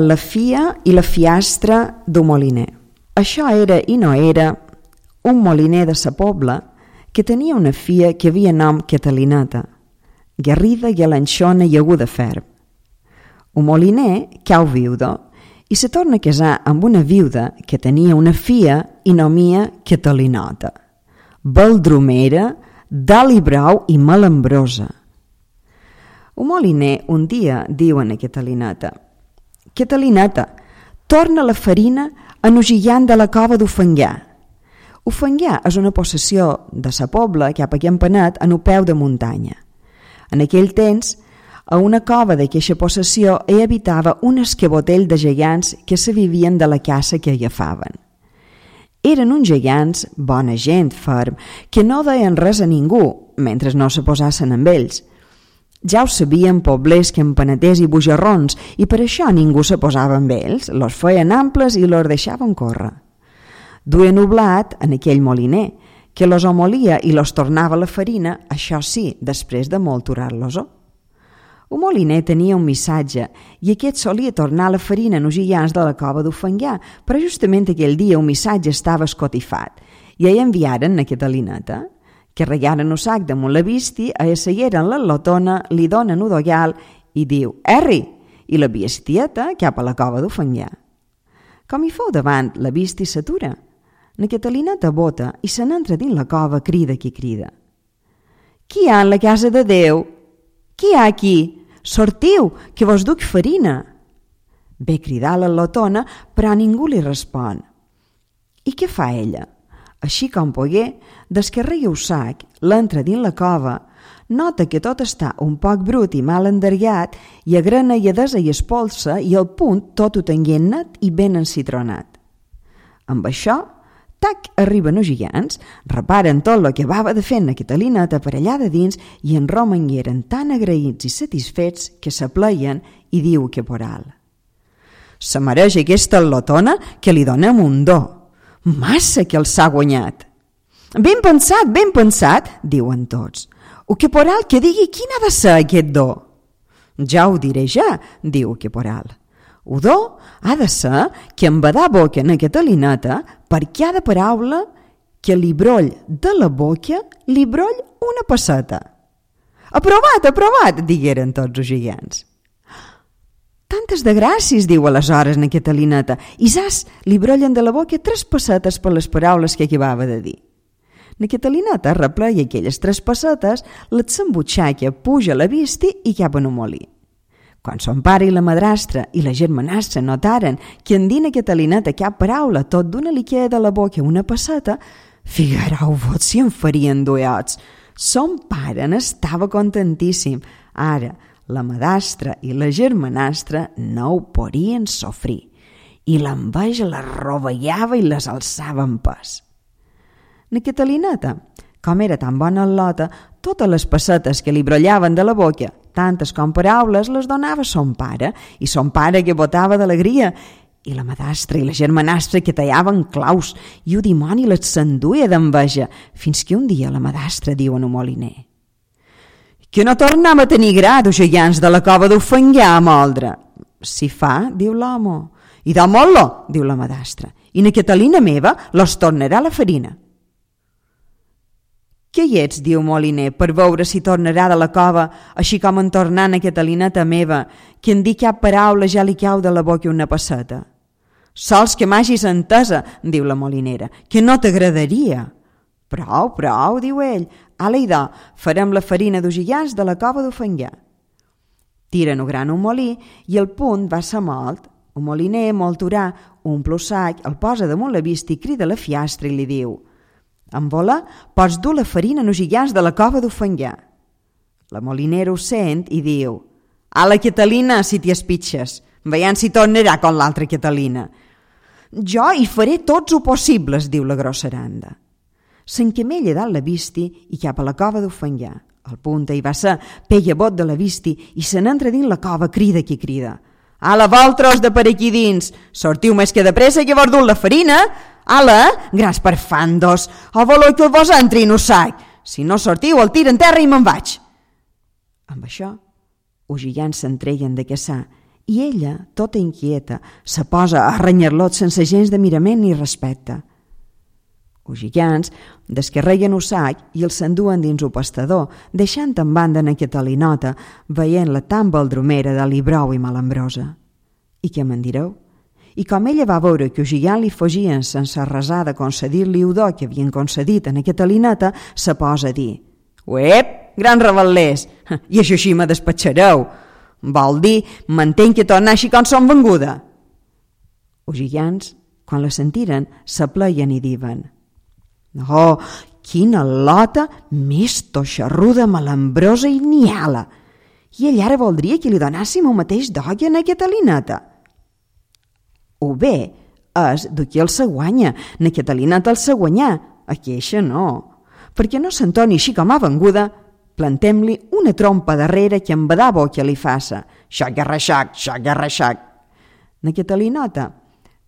La fia i la fiastra d'un moliner. Això era i no era un moliner de sa pobla que tenia una fia que havia nom Catalineta, garrida, galanxona i aguda ferm. Un moliner cau viudo i se torna a casar amb una viuda que tenia una fia i nomia Catalinota, baldromera, d'alt i brau i malambrosa. Un moliner un dia diu a Catalineta: «Catalineta, torna la farina enogillant de la cova d'Ufenguà». Ufenguà és una possessió de sa pobla cap a Campanet en un peu de muntanya. En aquell temps, a una cova d'aquesta possessió hi habitava un esquebotell de gegants que se vivien de la caça que agafaven. Eren uns gegants, bona gent, ferm, que no deien res a ningú mentre no se posassin amb ells. Ja ho sabien poblers, campaneters i bujarrons, i per això ningú se posava amb ells, los feien amples i los deixaven córrer. Duien oblat en aquell moliner, que los amolia i los tornava la farina, això sí, després de molturar-los-ho. Un moliner tenia un missatge i aquest solia tornar la farina enogillant de la cova d'Ufenguà, però justament aquell dia un missatge estava escotifat i hi enviaren a Catalineta, que regaren un sac damunt la visti, assegueren la lotona, li donen un dogal i diu «Erri!» i la bestieta cap a la cova d'Ufenguà. Com hi fou davant, la visti s'atura. Na Catalineta bota i se n'entra dins la cova, crida qui crida. «Qui hi ha en la casa de Déu? Qui hi ha aquí? Sortiu, que vos duc farina!» Ve cridar la lotona, però ningú li respon. I què fa ella? Així com pogué, descarrega el sac, l'entra dins la cova, nota que tot està un poc brut i mal endergat i agrena i adesa i espolsa i al punt tot ho tenguent net i ben encitronat. Amb això, tac, arriben els gegants, reparen tot el que acabava de fer na Catalineta per allà de dins i en romangueren tan agraïts i satisfets que s'apleien i diu que poral. Se mereix aquesta lotona que li donem un do. Massa que els ha guanyat. Ben pensat, diuen tots. O que poral que digui quin ha de ser aquest do. Ja ho diré ja, diu que poral. O do ha de ser que em va dar boca en Catalineta per cada paraula que li broll de la boca li broll una passeta. Aprovat, digueren tots els gegants. Tantes de gràcies, diu aleshores na Catalineta, i zas, li brollen de la boca 3 pessetes per les paraules que acabava de dir. Na Catalineta repleia aquelles 3 pessetes, les s'embutxaca, puja a la visti i cap en un molí. Quan son pare i la madrastra i la germanastra notaren que en dir na Catalineta cap paraula tot d'una li queda de la boca una pesseta, figureu-vos si en farien duets. Son pare n'estava contentíssim. Ara, la madrastra i la germanastra no ho podien sofrir i l'enveja les rovellava i les alçava en pes. Na Catalineta, com era tan bona al·lota, totes les pessetes que li brollaven de la boca, tantes com paraules, les donava son pare, i son pare que botava d'alegria, i la madrastra i la germanastra que tallaven claus, i el dimoni les s'enduia d'enveja, fins que un dia la madrastra diu a un moliner: «Que no tornem a tenir gra dels gegants de la cova d'Ufenguà a moldre». «Si fa», diu l'home. «I de molt-lo», diu la madrastra, «i na Catalina meva los tornarà la farina». «Què hi ets», diu moliner, «per veure si tornarà de la cova, així com en tornant a Catalineta meva, que en dir cap paraula ja li cau de la boca una passeta». «Sols que m'hagis entesa», diu la molinera, «que no t'agradaria». Prou, diu ell, ala idò, farem la farina dels gegants de la cova d'Ufenguà. Tiren un gran un molí i el punt va ser molt. Un moliner, molturà, omple el sac, el posa damunt la vista i crida la fiastra i li diu: «En voler, pots dur la farina als gegants de la cova d'Ufenguà». La molinera ho sent i diu: «Ala Catalina, si t'hi espitxes, veiem si tornarà com l'altra Catalina». «Jo hi faré tots ho possibles», diu la grosseranda. S'encamella dalt la visti i cap a la cova d'Ufenguà. El punta hi va ser, pega bot de la visti i se n'entra dins la cova, crida qui crida. «Ala, vosaltres de per aquí dins, sortiu més que de pressa que vos dut la farina? Ala, grans perfandos, o voleu que vos entri en un sac? Si no sortiu, el tiro en terra i me'n vaig». Amb això, els gegants s'entreguen de caçar i ella, tota inquieta, se posa a renyar-lot sense gens de mirament ni respecte. Els gigants descarreguen el sac i el s'enduen dins el pastador, deixant en banda na Catalinota, veient-la tan baldromera de librou i malambrosa. I què me'n direu? I com ella va veure que el gigant li fugien sense resar de concedir-li el do que havien concedit a na Catalinota, se posa a dir: «Uep, gran rebel·lers, i això així me despatxareu. Vol dir, m'entenc que tornar així com som venguda». Els gigants, quan la sentiren, s'apleien i diuen: «Oh, quina lota més toixarruda, malambrosa i niala! I ell ara voldria que li donàssim el mateix do que a na Catalinota. O bé és de qui el se guanya, na Catalinota el se guanyar, a queixa no. Perquè no s'entoni així com ha venguda, plantem-li una trompa darrere que en badar boca li faça. Xac-garraxac, xac-garraxac». Na Catalinota,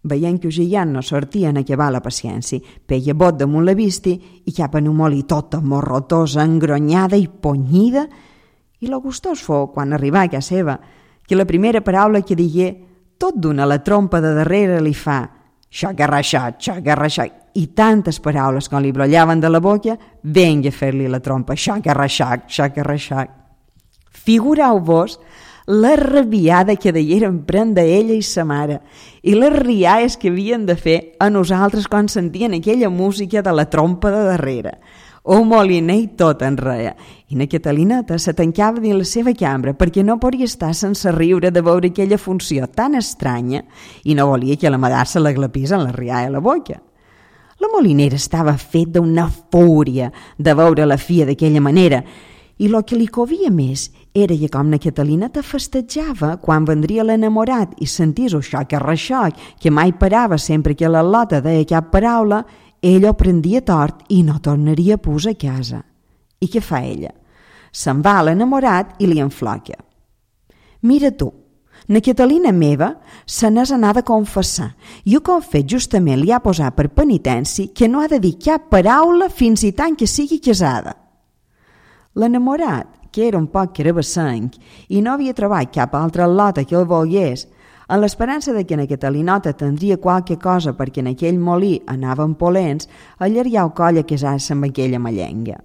veient que el gigant no sortia a acabar la paciència, peia bot damunt la visti i cap en un molí tota morrotosa, engronyada i ponyida, i lo gustós fou, quan arribà a casa seva, que la primera paraula que digué, tot d'una la trompa de darrere li fa xac-garraxac, xac-garraxac, i tantes paraules com li brollaven de la boca, venga a fer-li la trompa, xac-garraxac, xac-garraxac. Figureu-vos la rabiada que deieren prendre ella i sa mare i les rialles que havien de fer a nosaltres quan sentien aquella música de la trompa de darrere. El moliner i tot en reia, i na Catalinota se tancava dins la seva cambra perquè no podia estar sense riure de veure aquella funció tan estranya i no volia que la madar se la glapís en la rialla a la boca. La molinera estava fet d'una fúria de veure la filla d'aquella manera i el que li covia més era que com na Catalinota festejava quan vendria l'enamorat i sentís el xoc-arreixoc que mai parava sempre que la Lota deia cap paraula, ell ho prendia tort i no tornaria a posar a casa. I què fa ella? Se'n va a l'enamorat i li enfloca. «Mira tu, na Catalina meva se n'és anada a confessar i el que ha fet justament li ha posat per penitència que no ha de dir cap paraula fins i tant que sigui casada». L'enamorat, que era un poc carabassenc i no havia trobat cap altra Lota que el volgués, en l'esperança de que na Catalinota tindria qualque cosa perquè en aquell molí anaven polents, allargar el coll a casar-se amb aquella mallenga.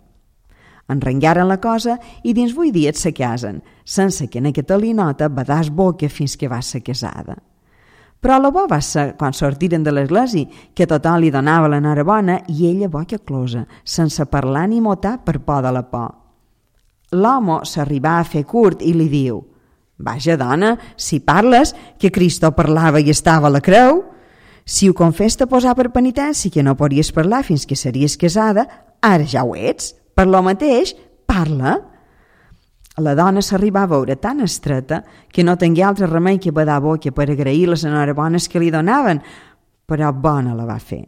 Enrengaren la cosa i dins 8 dies se casen, sense que na Catalinota badàs boca fins que va ser casada. Però la bo va ser quan sortiren de l'església, que tothom li donava l'enhorabona i ella boca closa, sense parlar ni motar per por de la por. L'home s'arribà a fer curt i li diu: «Vaja, dona, si parles, que Cristo parlava i estava a la creu. Si ho confés te posar per penitència que no podries parlar fins que series casada, ara ja ho ets. Per lo mateix, parla». La dona s'arribà a veure tan estreta que no tingué altre remei que badar boca per agrair les enhorabones que li donaven, però bona la va fer.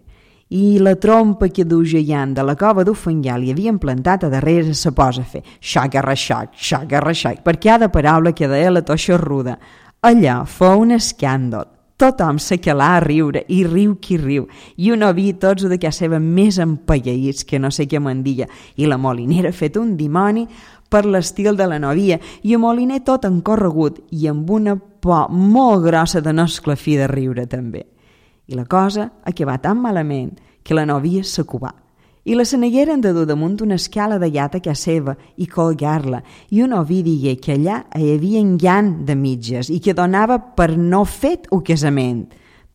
I la trompa que du gegant de la cova d'Ofengar li havien plantat a darrere se posa a fer xac-garraxac, xac-garraxac, per cada paraula que deia la toixarruda. Allà fou un escàndol. Tothom s'acalà a riure, i riu qui riu, i un oví tots de casa seva més empaiaïts que no sé què me'n diga, i la molinera fet un dimoni per l'estil de la novia, i el moliner tot encorregut i amb una por molt grossa de no esclafir de riure també. I la cosa acabà tan malament que la novia s'acubà. I la senegueren de dur damunt una escala de llata a casa seva i colgar-la, i un oví digué que allà hi havia llan de mitges i que donava per no fet un casament.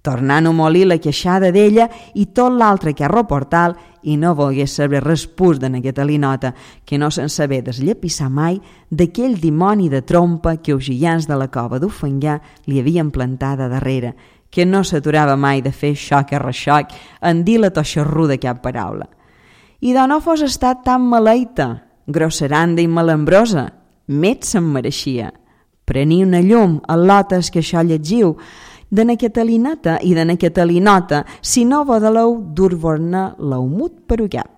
Tornant a molir la queixada d'ella i tot l'altre carro portal i no volgué saber res pus de na Catalinota que no se'n sabé desllepissar mai d'aquell dimoni de trompa que els gigants de la cova d'Ofengar li havien plantada darrere, que no s'aturava mai de fer xoc-arreixoc en dir la toixarruda cap paraula. I de no fos estat tan maleita, grosseranda i malambrosa, més se'n mereixia. Prení una llum a lotes que això llegiu, de na Catalineta i de na Catalinota, si no vodeleu dur-vos-ne l'aumut per cap.